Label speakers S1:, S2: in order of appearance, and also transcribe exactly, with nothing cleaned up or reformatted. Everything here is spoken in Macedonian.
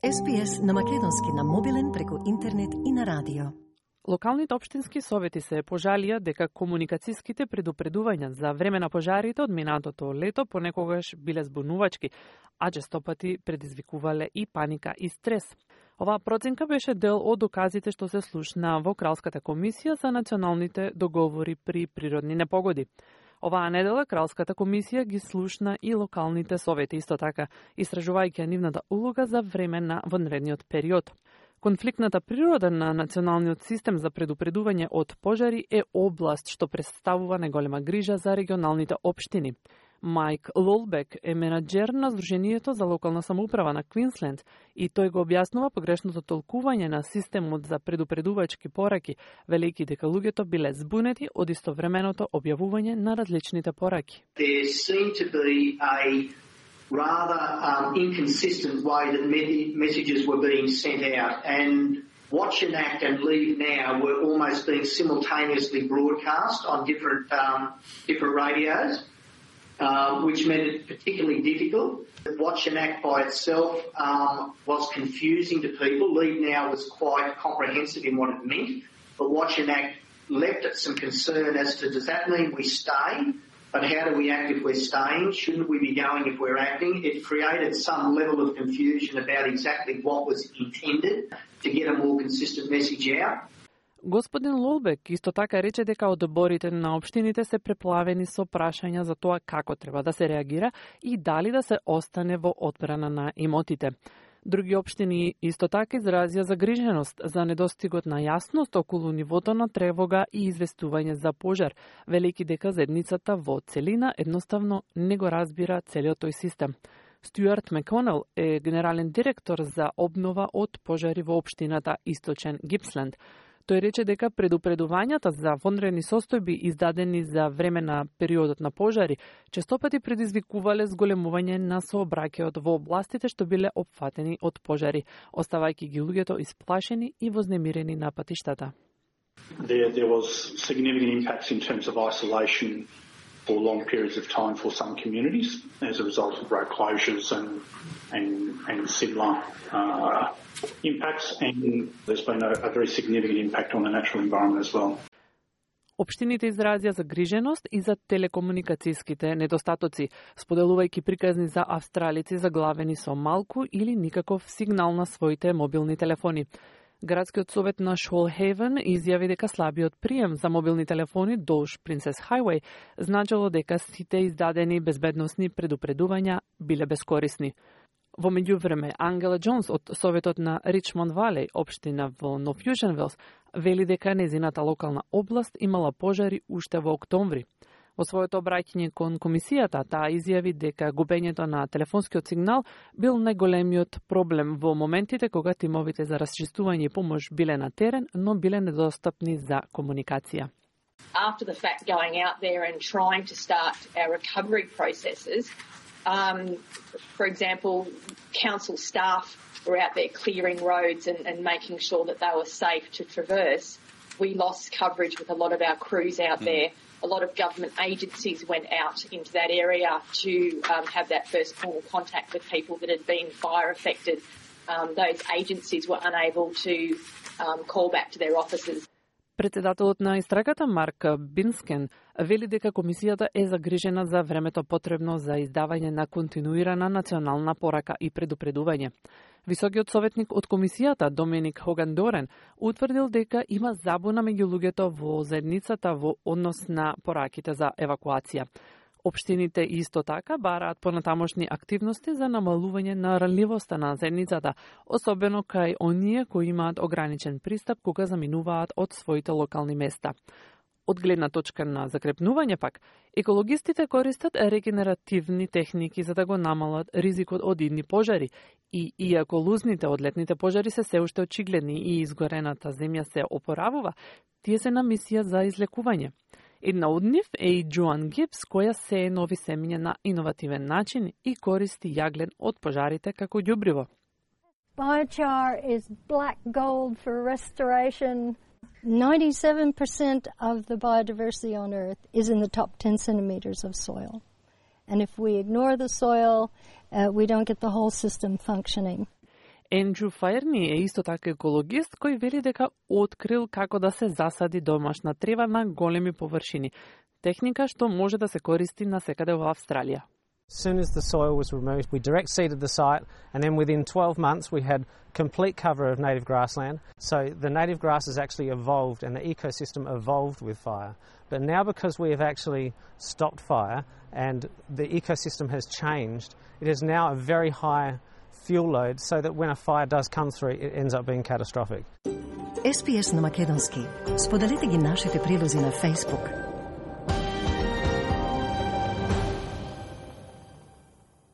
S1: Ес Би Ес на македонски на мобилен преку интернет и на радио.
S2: Локалните општински совети се пожалија дека комуникацијските предупредувања за време на пожарите од минатото лето понекогаш биле збунувачки, а често пати предизвикувале и паника и стрес. Оваа проценка беше дел од доказите што се слушна во Кралската комисија за националните договори при природни непогоди. Оваа недела Кралската комисија ги слушна и локалните совети исто така, истражувајќи нивната улога за време на вонредниот период. Конфликтната природа на националниот систем за предупредување од пожари е област што представува најголема грижа за регионалните општини. Майк Лолбек е менаџер на Сдруженијето за локална самоуправа на Квинсленд и тој го објаснува погрешното толкување на системот за предупредувачки пораки, велејќи дека луѓето биле збунети од истовременото објавување на различните пораки.
S3: There seemed to be a rather um, inconsistent way that me- messages were being sent out, and Watch and Act and Leave Now were almost being simultaneously broadcast on different um, different radios. Um, which made it particularly difficult. Watch and Act by itself um, was confusing to people. Leave Now was quite comprehensive in what it meant, but Watch and Act left it some concern as to, does that mean we stay? But how do we act if we're staying? Shouldn't we be going if we're acting? It created some level of confusion about exactly what was intended to get a more consistent message out.
S2: Господин Лолбек исто така рече дека одборите на општините се преплавени со прашања за тоа како треба да се реагира и дали да се остане во одбрана на имотите. Други општини исто така изразија загриженост за недостигот на јасност околу нивото на тревога и известување за пожар, велејќи дека заедницата во целина едноставно не го разбира целиот тој систем. Стюарт Маконел е генерален директор за обнова од пожари во општината Источен Гипсленд. Тој рече дека предупредувањата за вонредни состојби издадени за време на периодот на пожари често пати предизвикувале зголемување на сообраќајот во областите што биле опфатени од пожари, оставајќи ги луѓето исплашени и вознемирени на патиштата.
S4: There, there was significant impacts in terms of isolation for long periods of time for some communities as a result of road closures and and, and similar uh, impacts, and there's been a, a very significant impact on the natural environment as well.
S2: Општините изразија загриженост и за телекомуникацијските недостатоци, споделувајќи приказни за австралици заглавени со малку или никаков сигнал на своите мобилни телефони. Градскиот совет на Шолхейвен изјави дека слабиот прием за мобилни телефони долж Принцес Хајвеј значило дека сите издадени безбедносни предупредувања биле бескорисни. Во меѓувреме, Ангела Џонс од Советот на Ричмонд Валеј, општина во Нов Јужен Велс, вели дека незината локална област имала пожари уште во октомври. Во своето обраќање кон комисијата, таа изјави дека губењето на телефонскиот сигнал бил најголемиот проблем во моментите кога тимовите за расчистување и помош биле на терен, но биле недостапни за комуникација.
S5: After the fact, going out there and trying to start our recovery processes, um, for example, council staff were out there clearing roads and, and making sure that they were safe to traverse. We lost coverage with a lot of our crews out mm. there. A lot of government agencies went out into that area to um, have that first point of contact with people that had been fire affected. Um, those agencies were unable to um, call back to their offices.
S2: Председателот на истрагата Марк Бинскен вели дека комисијата е загрижена за времето потребно за издавање на континуирана национална порака и предупредување. Високиот советник од комисијата Доминик Хоган Дорен утврдил дека има забуна меѓу луѓето во заедницата во однос на пораките за евакуација. Општините исто така бараат понатамошни активности за намалување на ранливоста на заедницата, особено кај оние кои имаат ограничен пристап кога заминуваат од своите локални места. Од гледна точка на закрепнување пак, екологистите користат регенеративни техники за да го намалат ризикот од идни пожари и иако лузните од летните пожари се се уште очигледни и изгорената земја се опоравува, тие се на мисија за излекување. Една од нив е и Джоан Гипс, која сее нови семиња на иновативен начин и користи јаглен од пожарите како ѓубриво.
S6: Biochar is black gold for restoration. ninety-seven percent of the biodiversity on Earth is in the top ten centimeters of soil. And if we ignore the soil, uh, we don't get the whole system functioning.
S2: Ендрю Фаерни е исто така екологист кој вели дека открил како да се засади домашна трева на големи површини. Техника што може да се користи насекаде во Австралија.
S7: As soon as the soil was removed, we direct seeded the site, and then within twelve months we had complete cover of native grassland. So the native grasses actually evolved and the ecosystem evolved with fire. But now because we have actually stopped fire and the ecosystem has changed, it is now a very high fuel load so that when a fire does come through, it ends up being catastrophic.
S1: Ес Пи Ес на македонски. Споделете ги нашите прилози на Facebook.